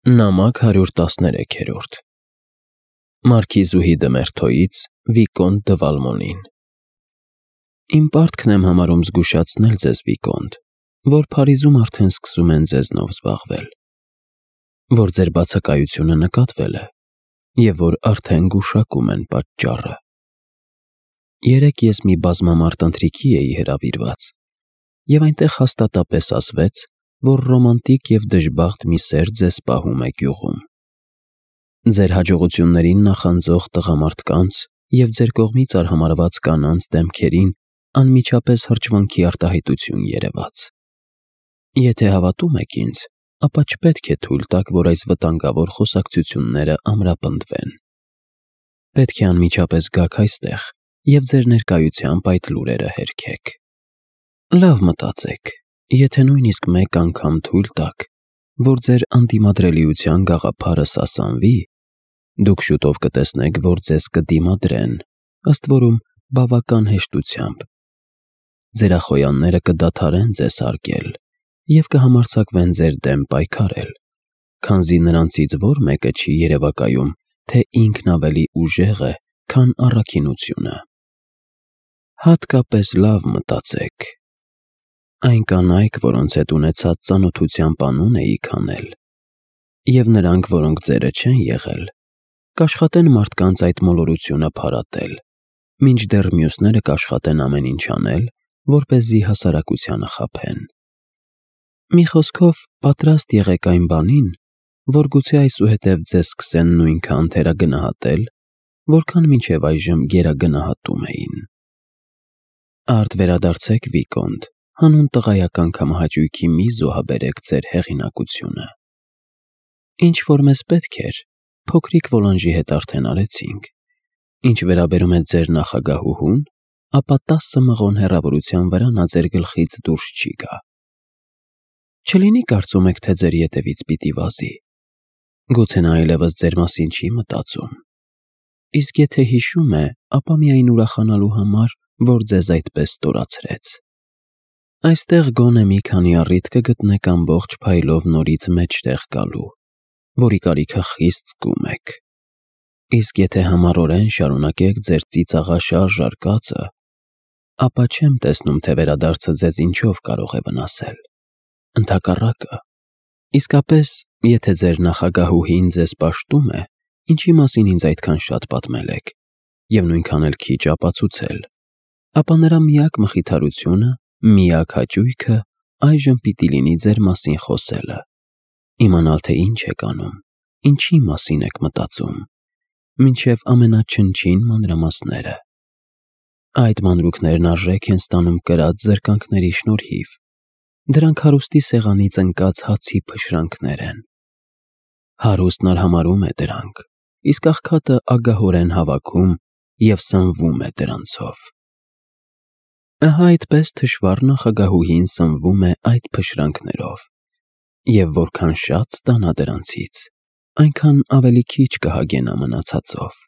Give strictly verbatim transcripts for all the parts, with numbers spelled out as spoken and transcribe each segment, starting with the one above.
Նամակ հարյուր տասներեքերորդ Մարքիզուհի դը Մերթոյից Վիկոնտ դը Վալմոնին Իմ պարտքն եմ համարում զգուշացնել ձեզ, Վիկոնտ, որ Փարիզում արդեն սկսում են ձեզնով զբաղվել, որ ձեր բացակայությունը նկատվել է և որ արդեն գուշակում են պատճառը։ Երեկ ես մի բազմամարդ ընթրիքի էի հրավիրված, և այնտեղ հաստատապես ասվեց, որ ռոմանտիկ և դժբախտ մի սեր ձեզ պահում է գյուղում։ Ձեր հաջողություններին նախանձող տղամարդկանց և ձեր կողմից արհամարհված կանանց դեմքերին անմիջապես հրճվանքի արտահայտություն երևաց։ Եթե հավատում եք ինձ, ապա չպետք է թույլ տաք, որ այս վտանգավոր խոսակցությունները ամրապնդվեն։ Պետք է անմիջապես գաք այստեղ և ձեր ներկայությամբ այդ լուրերը հերքեք։ Լավ մտածեք, եթե նույնիսկ մեկ անգամ թույլ տաք, որ ձեր անդիմադրելիության գաղափարը սասանվի, դուք շուտով կտեսնեք, որ ձեզ կդիմադրեն, ըստ որում բավական հեշտությամբ։ Ձեր ախոյանները կդադարեն ձեզ հարգել և կհամարձակվեն ձեր դեմ պայքարել, քանզի նրանցից որ մեկը չի երևակայում, թե ինքն ավելի ուժեղ է, քան առաքինությունը։ Հատկապես լավ մտածեք։ Այն կանայք, որոնց հետ ունեցած ծանոթությամբ անուն էիք անել, և նրանք, որոնք ձերը չեն եղել, կաշխատեն մարդկանց այդ մոլորությունը փարատել, մինչդեռ մյուսները կաշխատեն ամեն ինչ անել, որպեսզի հասարակությանը խաբեն։ Մի խոսքով, պատրաստ եղեք այն բանին, որ գուցե այսուհետև ձեզ սկսեն նույնքան թերագնահատել, որքան մինչև այժմ գերագնահատում էին։ Արդ վերադարձեք, Վիկոնտ, հանուն տղայական կամահաճույքի մի զոհաբերեք ձեր հեղինակությունը։ Ինչ-որ մեզ պետք էր, փոքրիկ Վոլանժի հետ արդեն արեցինք։ Ինչ վերաբերում է ձեր նախագահուհուն, ապա տասը մղոն հեռավորության վրա նա ձեր գլխից դուրս չի գա։ Չլինի կարծում եք, թե ձեր ետևից պիտի վազի։ Գուցե նա այլևս ձեր մասին չի մտածում։ Իսկ եթե հիշում է, ապա միայն ուրախանալու համար, որ ձեզ այդպես ստորացրեց։ Այստեղ գոնե մի քանի առիթ կգտնեք ամբողջ փայլով նորից մեջտեղ գալու, որի կարիքը խիստ զգում եք։ Իսկ եթե համառորեն շարունակեք ձեր ծիծաղաշարժ արկածը, ապա չեմ տեսնում, թե վերադարձը ձեզ ինչով կարող է վնասել։ Ընդհակառակը, իսկապես, եթե ձեր նախագահուհին ձեզ պաշտում է, ինչի մասին ինձ այդքան շատ պատմել եք, և նույնքան էլ քիչ ապացուցել, ապա նրա միակ մխիթարությունը, միակ հաճույքը այժմ պիտի լինի ձեր մասին խոսելը, իմանալ, թե ինչ եք անում, ինչի մասին եք մտածում, մինչև ամենաչնչին մանրամասները։ Այդ մանրուքներն արժեք են ստանում կրած զրկանքների շնորհիվ։ Դրանք հարուստի սեղանից ընկած հացի փշրանքներ են։ Հարուստն արհամարհում է դրանք, իսկ աղքատը ագահորեն հավաքում և սնվում է դրանցով։ Ահա այդպես թշվառ նախագահուհին սնվում է այդ փշրանքներով, և որքան շատ ստանա դրանցից, այնքան ավելի քիչ կհագենա մնացածով։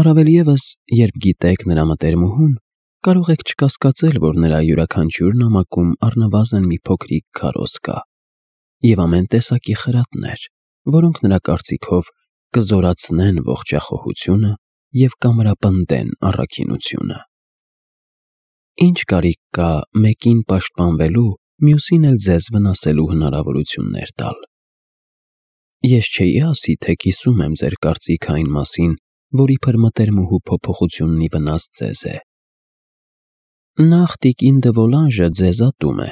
Առավել ևս, երբ գիտեք նրա մտերմուհուն, կարող եք չկասկածել, որ նրա յուրաքանչյուր նամակում առնվազն մի փոքրիկ քարոզ կա, և ամեն տեսակի խրատներ, որոնք նրա կարծիքով կզորացնեն ողջախոհությունը և կամրապնդեն առաքինությունը։ Ինչ կարիք կա մեկին պաշտպանվելու, մյուսին էլ ձեզ վնասելու հնարավորություններ տալ։ Ես չէի ասի, թե կիսում եմ ձեր կարծիքը այն մասին, որ իբր մտերմուհու փոփոխությունն ի վնաս ձեզ է։ Նախ տիկին դը Վոլանժը ձեզ ատում է,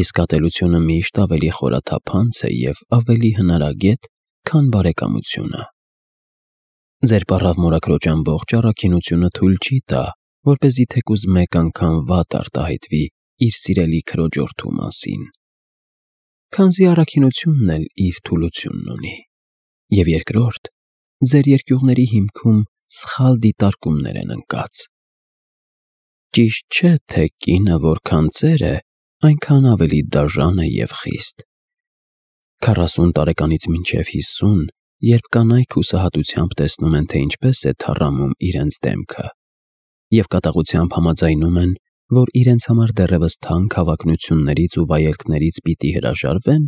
իսկ ատելությունը միշտ ավելի խորաթափանց է և ավելի հնարագետ, քան բարեկամությունը։ Ձեր պառավ մորաքրոջ ամբողջ առաքինությունը թույլ չի տա, որպեսզի թեկուզ մեկ անգամ վատ արտահայտվի իր սիրելի քրոջորդու մասին, քանզի առաքինությունն էլ իր թուլությունն ունի։ Եվ երկրորդ, ձեր երկյուղների հիմքում սխալ դիտարկումներ են ընկած։ Ճիշտ չէ, թե կինը որքան ծեր է, այնքան ավելի դաժան է և խիստ։ Քառասուն տարեկանից մինչև հիսուն, երբ կանայք հուսահատությամբ տեսնում են, թե ինչպես է թառամում իրենց դեմքը, և կատաղությամբ համաձայնում են, որ իրենց համար դեռևս թանկ հավակնություններից ու վայելքներից պիտի հրաժարվեն,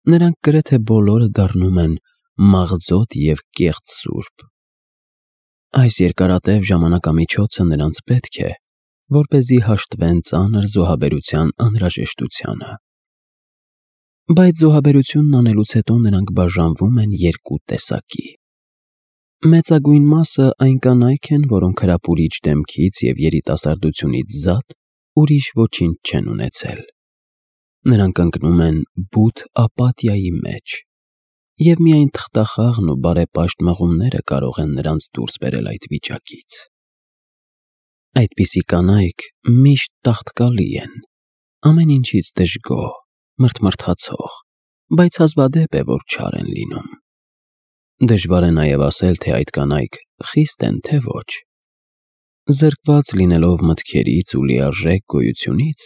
նրանք գրեթե բոլորը դառնում են մաղձոտ և կեղծ սուրբ։ Այս երկարատև ժամանակամիջոցը նրանց պետք է, որպեսզի հաշտվեն ծանր զոհաբերության անհրաժեշտությանը։ Բայց զոհաբերությունն անելուց հետո նրանք բաժանվում են երկու տեսակի։ Մեծագույն մասը այն կանայք են, որոնք հրապուրիչ դեմքից և երիտասարդությունից զատ ուրիշ ոչինչ չեն ունեցել։ Նրանք ընկնում են բութ ապաթիայի մեջ, և միայն թղթախաղն ու բարեպաշտ մղումները կարող են նրանց դուրս բերել այդ վիճակից։ Այդպիսի կանայք միշտ տաղտկալի են, ամեն ինչից դժգոհ, մրթմրթացող, բայց հազվադեպ է, որ չար են լինում։ Դժվար է նաև ասել, թե այդ կանայք խիստ են, թե ոչ։ Զրկված լինելով մտքերից ու լիարժեք գոյությունից,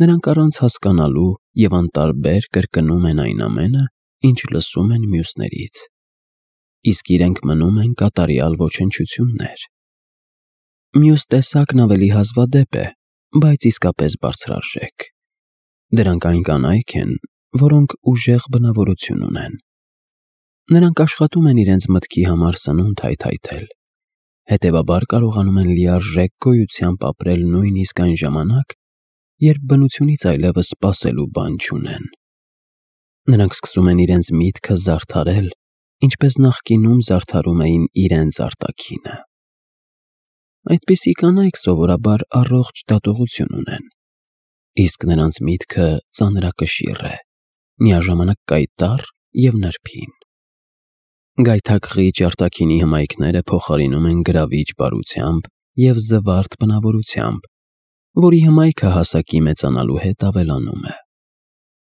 նրանք առանց հասկանալու և անտարբեր կրկնում են այն ամենը, ինչ լսում են մյուսներից, իսկ իրենք մնում են կատարյալ ոչնչություններ։ Մյուս տեսակն ավելի հազվադեպ է, բայց իսկապես բարձրարժեք։ Դրանք այն կանայք են, որոնք ուժեղ բնավորություն ունեն։ Նրանք աշխատում են իրենց մտքի համար սնունդ հայթայթել, հետևաբար կարողանում են լիարժեք գոյությամբ ապրել նույնիսկ այն ժամանակ, երբ բնությունից այլևս սպասելու բան չունեն։ Նրանք սկսում են իրենց միտքը զարդարել, ինչպես նախկինում զարդարում էին իրենց արտաքինը։ Այդպիսի կանայք սովորաբար առողջ դատողություն ունեն, իսկ նրանց միտքը ծանրակշիռ է, միաժամանակ կայտառ և նրբին։ Գայթակղիչ արտաքինի հմայքները փոխարինում են գրավիչ բարությամբ և զվարթ բնավորությամբ, որի հմայքը հասակի մեծանալու հետ ավելանում է։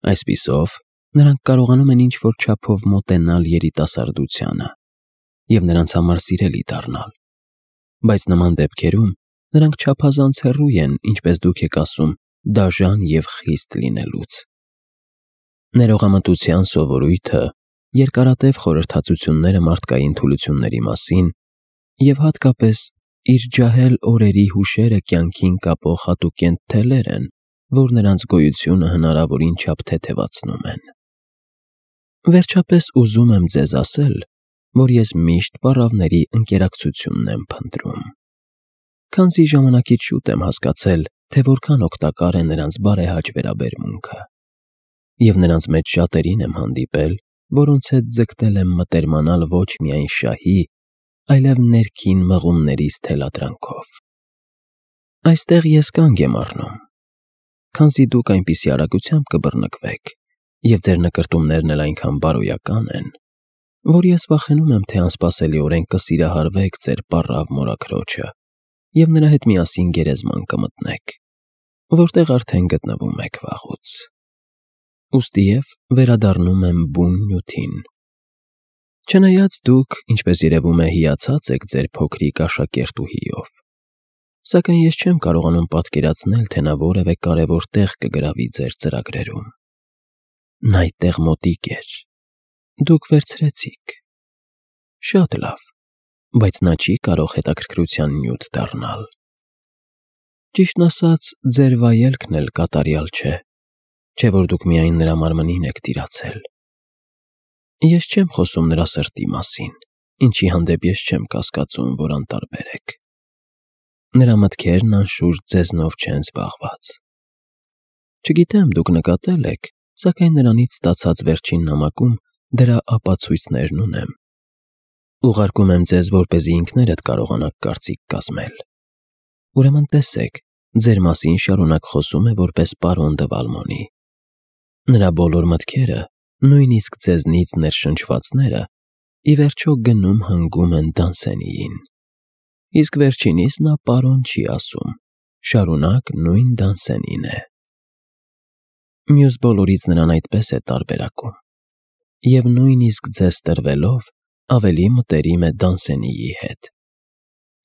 Այսպիսով, նրանք կարողանում են ինչ-որ չափով մոտենալ երիտասարդությանը և նրանց համար սիրելի դառնալ, բայց նման դեպքերում նրանք չափազանց հեռու են, ինչպես դուք եք ասում, դաժան և խիստ լինելուց։ Ներողամտության սովորույթը, երկարատև խորհրդածությունները մարդկային թուլությունների մասին և հատկապես իր ջահել օրերի հուշերը կյանքին կապող հատուկենտ թելեր են, որ նրանց գոյությունը հնարավորին չափ թեթևացնում են։ Վերջապես ուզում եմ ձեզ ասել, որ ես միշտ պառավների ընկերակցությունն եմ փնտրում, քանզի ժամանակից շուտ եմ հասկացել, թե որքան օգտակար է նրանց բարեհաճ վերաբերմունքը, և նրանց մեջ շատերին եմ հանդիպել, որոնց հետ ձգտել եմ մտերմանալ ոչ միայն շահի, այլև ներքին մղումներիս թելադրանքով։ Այստեղ ես կանգ եմ առնում, քանզի դուք այնպիսի արագությամբ կբռնկվեք, և ձեր նկրտումներն էլ այնքան բարոյական են, որ ես վախենում եմ, թե անսպասելիորեն կսիրահարվեք ձեր պառավ մորաքրոջը և նրա հետ միասին գերեզման կմտնեք, որտեղ արդեն գտնվում եք վաղուց։ Ուստիև վերադառնում եմ բուն նյութին։ Չնայած դուք, ինչպես երևում է, հիացած եք ձեր փոքրիկ աշակերտուհիով, սակայն ես չեմ կարողանում պատկերացնել, թե նա որևէ կարևոր տեղ կգրավի ձեր ծրագրերում։ Նա այդտեղ մոտիկ էր, դուք վերցրեցիք։ Շատ լավ, բայց նա չի կարող հետաքրքրության նյութ դառնալ։ Ճիշտն ասած, ձեր վայելքն էլ կատարյալ չէ, չէ՞ որ դուք միայն նրա մարմնին եք տիրացել։ Ես չեմ խոսում նրա սրտի մասին, ինչի հանդեպ ես չեմ կասկածում, որ անտարբեր եք։ Նրա մտքերն անշուշտ ձեզնով չեն զբաղված։ Չգիտեմ դուք նկատել եք, սակայն նրանից ստացած վերջին նամակում դրա ապացույցներն ունեմ։ Ուղարկում եմ ձեզ, որպեսզի ինքներդ կարողանաք կարծիք կազմել։ Ուրեմն տեսեք, ձեր մասին շարունակ խոսում է որպես պարոն դը Վալմոնի։ Նրա բոլոր մտքերը, նույնիսկ ձեզնից ներշնչվածները, ի վերջո գնում հանգում են Դանսենիին, իսկ վերջինիս նա պարոն չի ասում, շարունակ նույն Դանսենին է։ Մյուս բոլորից նրան այդպես է տարբերակում, և նույնիսկ ձեզ տրվելով ավելի մտերիմ է Դանսենիի հետ։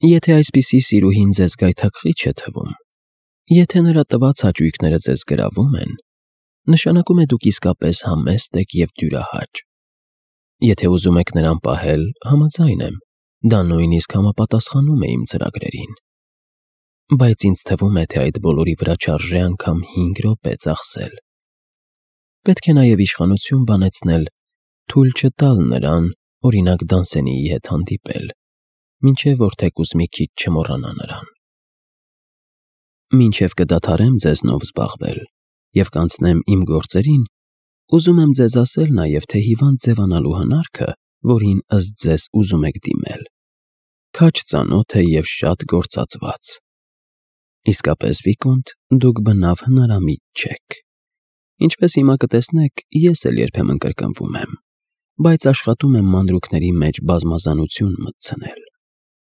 Եթե այսպիսի սիրուհին ձեզ գայթակղիչ է թվում, եթե նրա տված հաճույքները ձեզ գրավում են, նշանակում է դուք իսկապես համեստ եք և դյուրահաճ։ Եթե ուզում եք նրան պահել, համաձայն եմ, դա նույնիսկ համապատասխանում է իմ ծրագրերին։ Բայց ինձ թվում է, թե այդ բոլորի վրա չարժե անգամ հինգ րոպե ծախսել։ Պետք է նաև իշխանություն բանեցնել, թույլ չտալ նրան, օրինակ Դանսենիի հետ հանդիպել, մինչև որ թեկուզ մի քիչ չմոռանա նրան։ Մինչև կդադարեմ ձեզնով զբաղվել և կանցնեմ իմ գործերին, ուզում եմ ձեզ ասել նաև, թե հիվանդ ձևանալու հնարքը, որին ըստ ձեզ ուզում եք դիմել, քաջ ծանոթ է և շատ գործածված։ Իսկապես, Վիկոնտ, դուք բնավ հնարամիտ չեք։ Ինչպես հիմա կտեսնեք, ես էլ երբեմն կրկնվում եմ, բայց աշխատում եմ մանրուքների մեջ բազմազանություն մտցնել,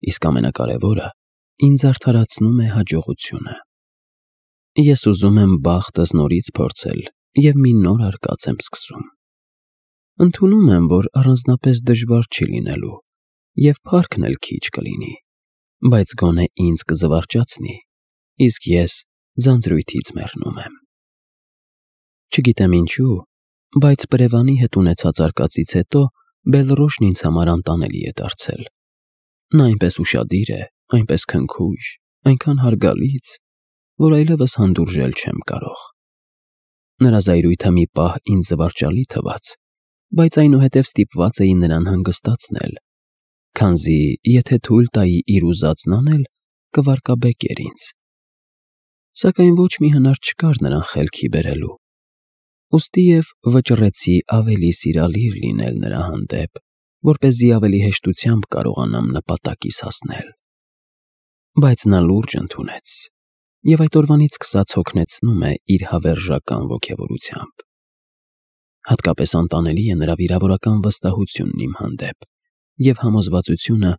իսկ ամենակարևորը ինձ արդարացնում է հաջողությունը։ Ես ուզում եմ բախտս նորից փորձել և մի նոր արկած եմ սկսում։ Ընդունում եմ, որ առանձնապես դժվար չի լինելու և փառքն էլ քիչ կլինի, բայց գոնե ինձ կզվարճացնի, իսկ ես ձանձրույթից մեռնում եմ։ Չգիտեմ ինչու, բայց Պրևանի հետ ունեցած արկածից հետո Բելռոշն ինձ համար անտանելի է դարձել։ Նա այնպես ուշադիր է, այնպես քնքուշ, այնքան հարգալից, որ այլևս հանդուրժել չեմ կարող։ Նրա զայրույթը մի պահ ինձ զվարճալի թվաց, բայց այնուհետև ստիպված էի նրան հանգստացնել, քանզի եթե թույլ տայի իր ուզածն անել, կվարկաբեկեր ինձ։ Սակայն ոչ մի հնար չկար նրան խելքի բերելու, ուստի և վճռեցի ավելի սիրալիր լինել նրա հանդեպ, որպեսզի ավելի հեշտությամբ կարողանամ նպատակիս հասնել։ Բայց նա լուրջ ընդունեց և այդ օրվանից սկսած հոգնեցնում է իր հավերժական ոգևորությամբ։ Հատկապես անտանելի է նրա վիրավորական վստահությունն իմ հանդեպ և համոզվածությունը,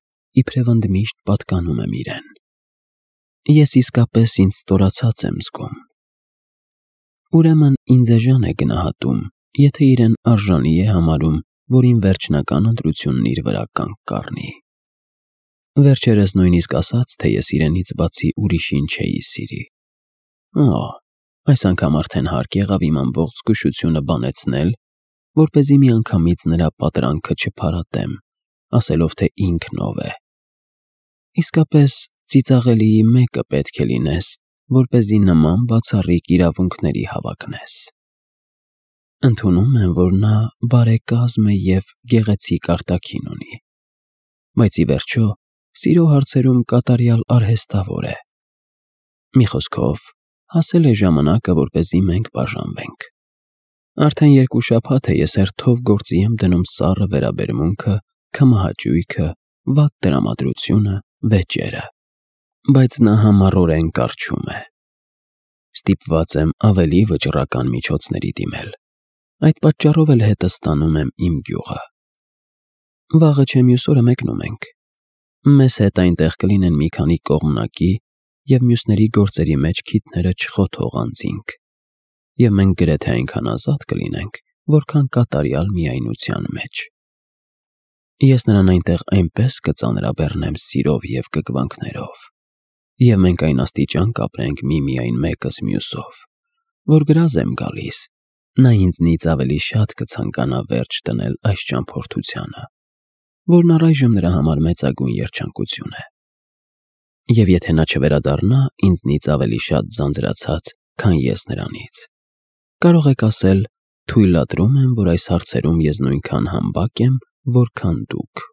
իբրև ընդմիշտ պատկանում եմ իրեն։ Ես իսկապես ինձ ստորացած եմ զգում։ Ուրեմն ինձ էժան է գնահատում, եթե իրեն արժանի է համարում, որ իմ վերջնական ընտրությունն իր վրա կանգ կառնի։ Վերջերս նույնիսկ ասաց, թե ես իրենից բացի ուրիշին չէի սիրի։ Օ՜, այս անգամ արդեն հարկ եղավ իմ ամբողջ զգուշությունը բանեցնել, որպեսզի միանգամից նրա պատրանքը չփարատեմ, ասելով, թե ինքն ով է։ Իսկապես ծիծաղելիի մեկը պետք է լինես, որպեսզի նման բացառիկ իրավունքների հավակնես։ Ընդունում եմ, որ նա բարեկազմ է և գեղեցիկ արտաքին ունի, բայց ի վերջո սիրո հարցերում կատարյալ արհեստավոր է։ Մի խոսքով, հասել է ժամանակը, որպեսզի մենք բաժանվենք։ Արդեն երկու շաբաթ է ես հերթով գործի եմ դնում սառը վերաբերմունքը, քմահաճույքը, վատ տրամադրությունը, վեճերը, բայց նա համառորեն կառչում է։ Ստիպված եմ ավելի վճռական միջոցների դիմել։ Այդ պատճառով էլ հետը ստանում եմ իմ գյուղը։ Վաղը չէ մյուս օրը մեկնում ենք։ Մեզ հետ այնտեղ կլինեն մի քանի կողմնակի և մյուսների գործերի մեջ քիթները չխոթող անձինք, և մենք գրեթե այնքան ազատ կլինենք, որքան կատարյալ միայնության մեջ։ Ես նրան այնտեղ այնպես կծանրաբեռնեմ սիրով և կգվանքներով, և մենք այն աստիճան կապրենք միմիայն մեկս մյուսով, որ գրազ եմ գալիս, նա ինձնից ավելի շատ կցանկանա վերջ դնել այս ճամփորդությանը, որն առայժմ նրա համար մեծագույն երջանկություն է։ Եվ եթե նա չվերադառնա ինձնից ավելի շատ ձանձրացած, քան ես նրանից, կարող եք ասել, թույլատրում եմ, որ այս հարցերում ես նույնքան համբակ եմ, որքան դուք։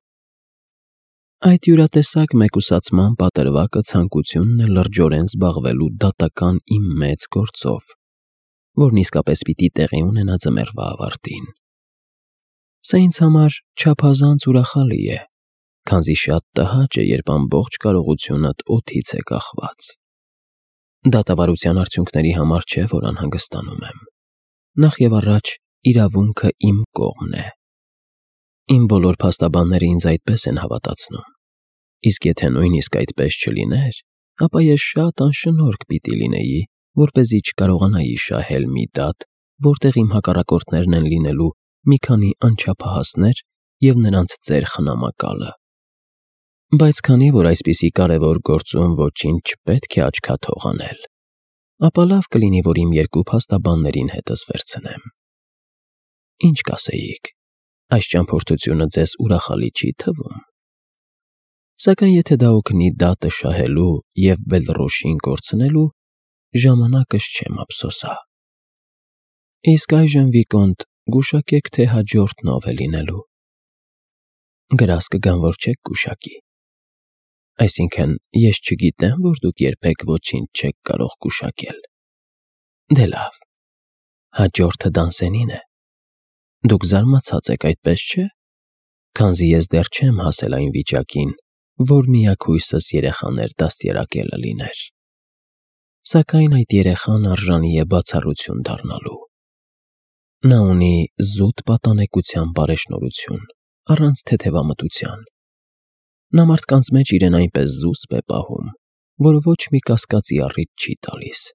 Այդ յուրատեսակ մեկուսացման պատրվակը ցանկությունն է լրջորեն զբաղվելու դատական իմ մեծ գործով, որն իսկապես պիտի տեղի ունենա ձմեռվա ավարտին։ Սա ինձ համար չափազանց ուրախալի է, քանզի շատ տհաճ է, երբ ամբողջ կարողությունդ օդից է կախված։ Դատավարության արդյունքների համար չէ, որ անհանգստանում եմ։ Նախ և առաջ իրավունքը իմ կողմն է։ Իմ բոլոր փաստաբանները ինձ այդպես են հավատացնում, իսկ եթե նույնիսկ այդպես չլիներ, ապա ես շատ անշնորհք պիտի լինեի, որպեսզի չկարողանայի շահել մի դատ, որտեղ իմ հակառակորդներն են լինելու մի քանի անչափահասներ և նրանց ծեր խնամակալը։ Բայց քանի որ այսպիսի կարևոր գործում ոչինչ չպետք է աչքաթող անել, ապա լավ կլինի, որ իմ երկու փաստաբաններին հետս վերցնեմ։ Ինչ կասեիք, այս ճամփորդությունը ձեզ ուրախալի չի թվում։ Սակայն եթե դա օգնի դատը շահելու և Բելռոշին կորցնելու, ժամանակս չեմ ափսոսա։ Իսկ այժմ, Վիկոնտ, գուշակեք, թե հաջորդն ով է լինելու։ Գրազ կգան, որ չեք գուշակի։ Այսինքն, ես չգիտեմ, որ դուք երբեք ոչինչ չեք կարող գուշակել։ Դե լավ, հաջորդը Դանսենին է։ Դուք զարմացած եք, այդպես չէ՞, քանզի ես դեռ չեմ հասել այն վիճակին, որ միակույսս երեխաներ դաստիարակելը լիներ։ Սակայն այդ երեխան արժանի է բացառություն դառնալու։ Նա ունի զուտ պատանեկության բարեշնորհություն, առանց թեթևամտության։ Նա մարդկանց մեջ իրեն այնպես զուսպ է պահում, որ ոչ մի կասկածի առիթ չի տալիս,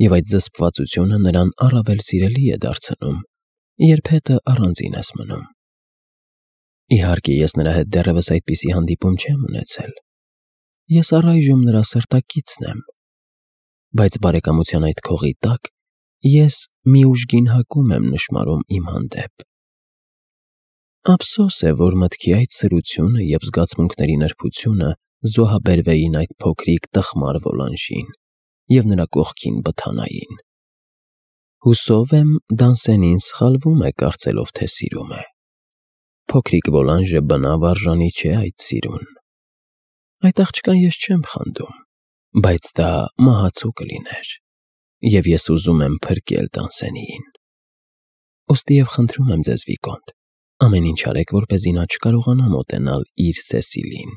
և այդ զսպվածությունը նրան առավել սիրելի է դարձնում, երբ հետը առանձին ես մնում։ Իհարկե, ես նրա հետ դեռևս այդպիսի հանդիպում չեմ ունեցել։ Ես առայժմ նրա սրտակիցն եմ, բայց բարեկամության այդ քողի տակ ես մի ուժգին հակում եմ նշմարում իմ հանդեպ։ Ափսոս է, որ մտքի այդ սրությունը և զգացմունքների նրբությունը զոհաբերվեին այդ փոքրիկ տխմար Վոլանժին և նրա կողքին բթանային։ Հուսով եմ, Դանսենին սխալվում է կարծելով, թե սիրում է։ Փոքրիկ Վոլանժը բնավ արժանի չէ այդ սիրուն։ Այդ աղջկան ես չեմ խանդում, բայց դա մահացու կլիներ, և ես ուզում եմ փրկել Դանսենիին։ Ուստի և խնդրում եմ ձեզ, Վիկոնտ, ամեն ինչ արեք, որպեսզի նա չկարողանա մոտենալ իր Սեսիլին,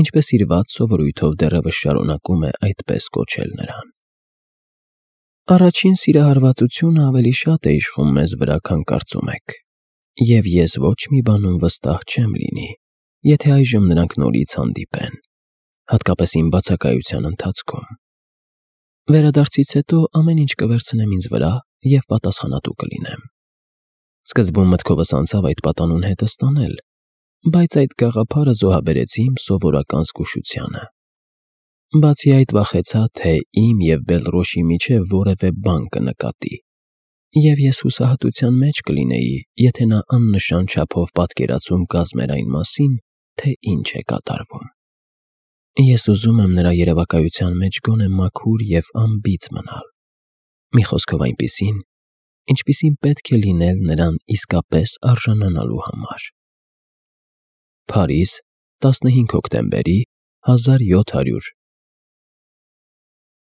ինչպես իր վատ սովորույթով դեռևս շարունակում է այդպես կոչել նրան։ Առաջին սիրահարվածությունը ավելի շատ է իշխում մեզ վրա, քան կարծում եք, և ես ոչ մի բանում վստահ չեմ լինի, եթե այժմ նրանք նորից հանդիպեն, հատկապես իմ բացակայության ընթացքում։ Վերադարձից հետո ամեն ինչ կվերցնեմ ինձ վրա և պատասխանատու կլինեմ։ Սկզբում մտքովս անցավ այդ պատանուն հետը ստանել, բայց այդ գաղափարը զոհաբերեցի իմ սովորական զգուշությանը։ Բացի այդ, վախեցա, թե իմ և Բելռոշի միջև որևէ բան կնկատի, և ես հուսահատության մեջ կլինեի, եթե նա աննշան չափով պատկերացում կազմեր այն մասին, թե ինչ է կատարվում։ Ես ուզում եմ նրա երևակայության մեջ գոնե մաքուր և անբիծ մնալ, մի խոսքով այնպիսին, ինչպիսին պետք է լինել նրան իսկապես արժանանալու համար։ Փարիզ, տասնհինգ հոկտեմբերի հազար յոթ հարյուր